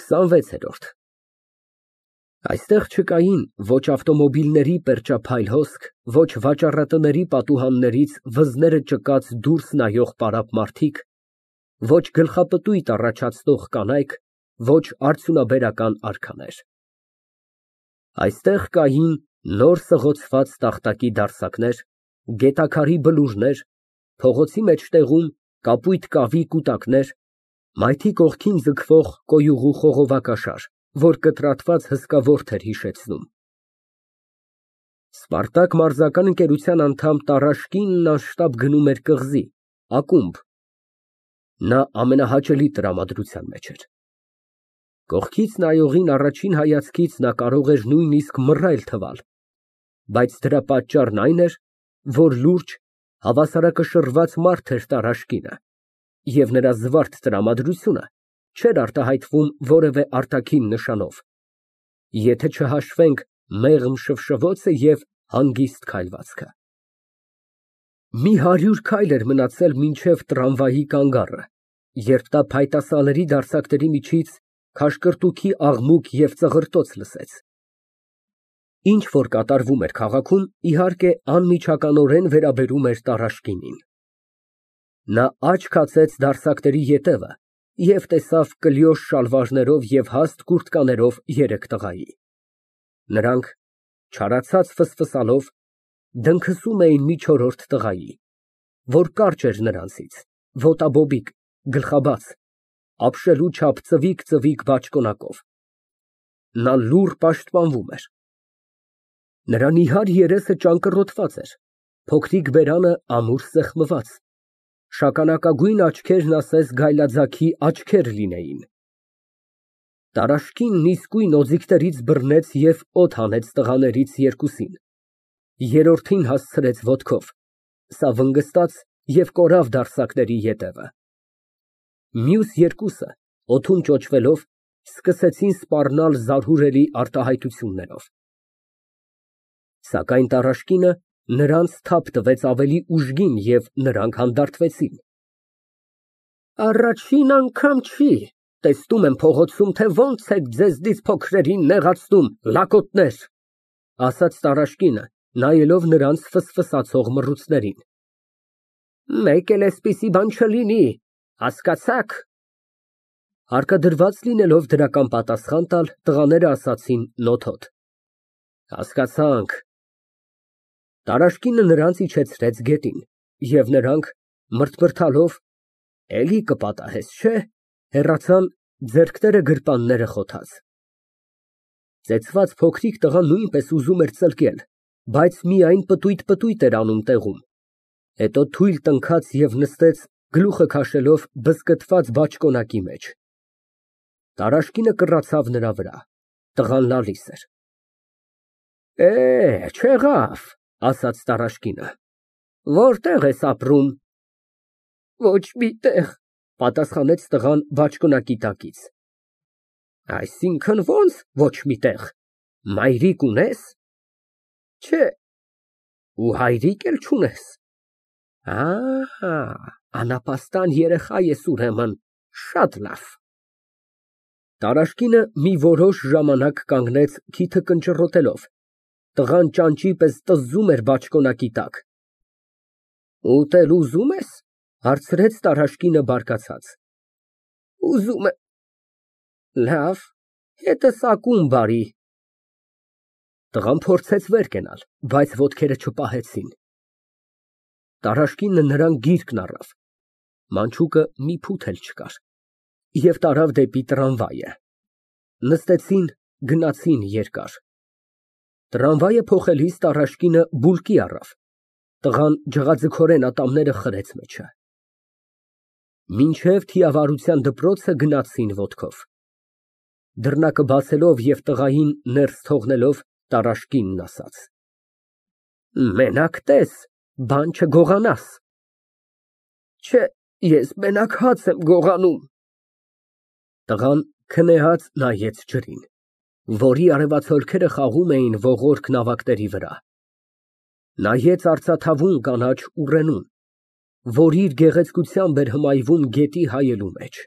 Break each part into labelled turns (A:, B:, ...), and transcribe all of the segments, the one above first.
A: 26-րդ Այստեղ չկային ոչ ավտոմոբիլների պերճափայլ հոսք, ոչ վաճառատների պատուհաններից վզները ճկած դուրս նայող պարապ մարդիկ, ոչ գլխապտույտ առաջացնող կանայք, ոչ արդյունաբերական արքաներ։ Այստեղ կային նոր սղոցված տախտակի դարսակներ, գետաքարի բլուրներ, փողոցի մեջտեղում կապույտ կավի կուտակներ, մայթի կողքին ձգվող կոյուղու խողովակաշար, որ կտրատված հսկա ворթ էր հիշեցնում։ Սպարտակ մարզական ընկերության անդամ Տարաշկինն անշտապ գնում էր կղզի, ակումբ։ Նա ամենահաճելի տրամադրության մեջ էր։ Կողքից նայողին առաջին հայացքից նա կարող էր նույնիսկ մռայլ թվալ, բայց դրա պատճառն այն էր, որ լուրջ, հավասարակշռված մարդ էր Տարաշկինը, և նրա զվարթ տրամադրությունը չէր արտահայտվում որևէ արտաքին նշանով, եթե չհաշվենք մեղմ շվշվոցը և հանգիստ քայլվածքը։ Մի 100 քայլ էր մնացել մինչև տրամվայի կանգառը, երբ նա փայտասալերի դարսակների միջից քաշկրտուքի աղմուկ և ծղրտոց լսեց։ Ինչ որ կատարվում էր քաղաքում, իհարկե, անմիջականորեն վերաբերում էր Տարաշկինին։ Նա աչք հացեց դարսակների ետևը և տեսավ կլյոշ շալվարներով և հաստ կուրտկաներով 3 տղայի։ Նրանք, չարացած ֆսֆսալով, դնքսում էին մի չորրորդ տղայի, որ կարճ էր նրանցից, ոտաբոբիկ, գլխաբաց, ապշելու չափ ծվիկ բաճկոնակով։ Նա լուռ պաշտպանվում էր։ Նրա նիհար երեսը ճանկռոտված էր, փոքրիկ բերանը ամուր սեղմված, շագանակագույն աչքերն ասես գայլաձագի աչքեր լինեին։ Տարաշկինն իսկույն օձիքներից բռնեց և օդ հանեց տղաներից երկուսին, երրորդին հասցրեց ոտքով, սա վնգստաց և կորավ դարսակների ետևը։ Մյուս երկուսը, օդում ճոճվելով, սկսեցին սպառնալ զարհուրելի արտահայտություններով։ Սակայն Տարաշկինը նրանց թափ տվեց ավելի ուժգին և նրանք հանդարտվեցին։ Առաջին անգամ չի, տեսնում եմ փողոցում, թե ոնց եք ձեզնից փոքրերին նեղացնում, լակոտներ, ասաց Տարաշկինը, նայելով նրանց ֆսֆսացող մռութներին։ Մեկ էլ էսպիսի բան չլինի, հասկացա՞ք։ Հարկադրված լինելով դրական պատասխան տալ, տղաները ասացին նոթոտ. Հասկացանք։ Տարաշկինը նրանց իջեցրեց գետին, և նրանք, մռթմռթալով, էլի կպատահես, չէ՞, հեռացան, ձեռքները գրպանները խոթած։ Ծեծված փոքրիկ տղան նույնպես ուզում էր ծլկել, բայց միայն պտույտ էր անում տեղում, հետո թույլ տնքաց և նստեց, գլուխը քաշելով բզկտված բաճկոնակի մեջ։ Տարաշկինը կռացավ նրա վրա, տղան լալիս էր։ Չեղավ, ասաց Տարաշկինը, որտե՞ղ ես ապրում։ Ոչ մի տեղ, պատասխանեց տղան բաճկոնակի տակից։ Այսինքն ո՞նց ոչ մի տեղ, մայրիկ ունե՞ս։ Չէ։ Ու հայրիկ էլ չունե՞ս։ Անապաստան երեխա ես ուրեմն, շատ լավ։ Տարաշկինը մի որոշ ժամանակ կանգնեց քիթը կնճռոտելով, տղան ճանճի պես տզզում էր բաճկոնակի տակ։ Ուտել ուզում ես, հարցրեց Տարաշկինը բարկացած։ Ուզում եմ։ Լավ, հետս ակումբ արի։ Տղան փորձեց վեր կենալ, բայց ոտքերը չպահեցին։ Տարաշկինը նրան գիրկն առավ, մանչուկը մի փութ էլ չկար, և տարավ դեպի տրամվայը։ Նստեցին, գնացին երկար։ Տրամվայը փոխելիս Տարաշկինը բուլկի առավ, տղան ջղաձգորեն ատամները խրեց մեջը։ Մինչև թիավարության դպրոցը գնացին ոտքով։ Դռնակը բացելով և տղային ներս թողնելով, Տարաշկինն ասաց. Մենակ տես, բան չգողանաս։ Չէ, ես մենակ հաց եմ գողանում։ Տղան քնեհած նայեց ջրին, որի արևացոլքերը խաղում էին ողորկ նավակների վրա։ Նայեց արծաթավուն կանաչ ուռենուն, որ իր գեղեցկությամբ էր հմայվում գետի հայելու մեջ։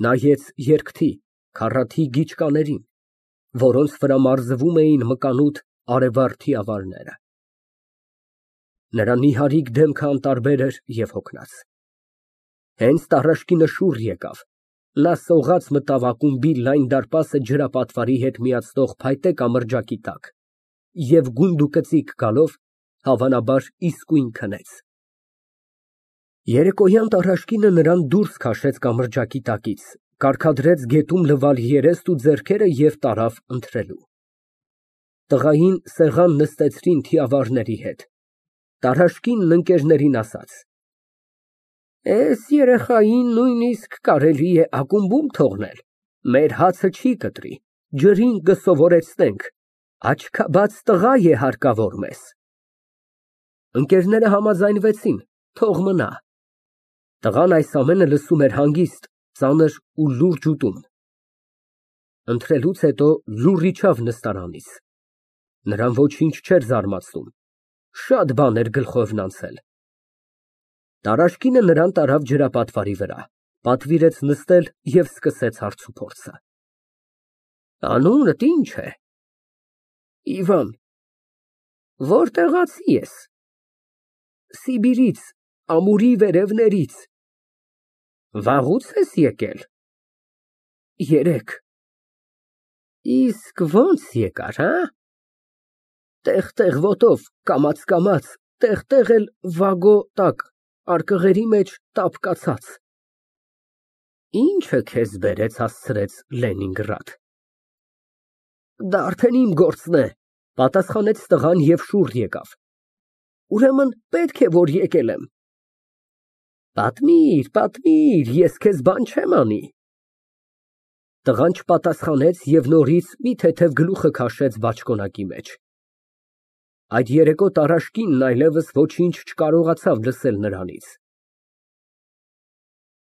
A: Նայեց երկթի, քառաթի գիճկաներին, որոնց վրա մարզվում էին մկանուտ արևարդի ավարները։ Նրա նիհարիկ դեմքը անտարբեր էր և հոգնած։ Հենց տառաշկինը շուռ եկավ, նա սողաց մտավ ակումբի լայն դարպասը ջրապատվարի հետ միացնող փայտե կամրջակի տակ և գունդուկծիկ գալով, հավանաբար, իսկույն քնեց։ Երեկոյան տառաշկինը նրան դուրս քաշեց կամրջակի տակից, կարգադրեց գետում լվալ երեստ ու ձեռքերը և տարավ ընթրելու։ Տղային սեղան նստեցրին թիավարների հետ։ Տառաշկինն ընկերներին ասաց. Էս երեխային նույնիսկ կարելի է ակումբում թողնել, մեր հացը չի կտրի, ջրին կսովորեցնենք, աչքաբաց տղա է հարկավոր մեզ։ Ընկերները համաձայնվեցին, թող մնա։ Տղան այս ամենը լսում էր հանգիստ, ծանր ու լուրջ ուտում։ Ընթրելուց հետո լուռ իջավ նստարանից։ Նրան ոչինչ չէր զարմացնում, շատ բան էր գլխովն անցել։ Տարաշկինը նրան տարավ ջրապատվարի վրա, պատվիրեց նստել և սկսեց հարցուփորձը։ Անունդ ի՞նչ է։ Իվան։ Որտեղացի ես։ Սիբիրից, ամուրի վերևներից։ Վաղուց ես եկել։ Երեկ։ Իսկ ո՞նց եկար, հա։ Տեղ-տեղ ոտով, կամաց, տեղ էլ վագո տակ, արկղերի մեջ տապ կացած։ Ինչը քեզ բերեց հասցրեց Լենինգրադ։ Դա արդեն իմ գործն է, պատասխանեց տղան և շուռ եկավ։ Ուրեմն պետք է, որ եկել եմ։ Պատմիր, ես քեզ բան չեմ անի։ Տղան չպատասխանեց և նորից մի թեթև գլուխը քաշեց բաճկոնակի մեջ։ Այդ երեկո տառաշկինն այլևս ոչինչ չկարողացավ լսել նրանից։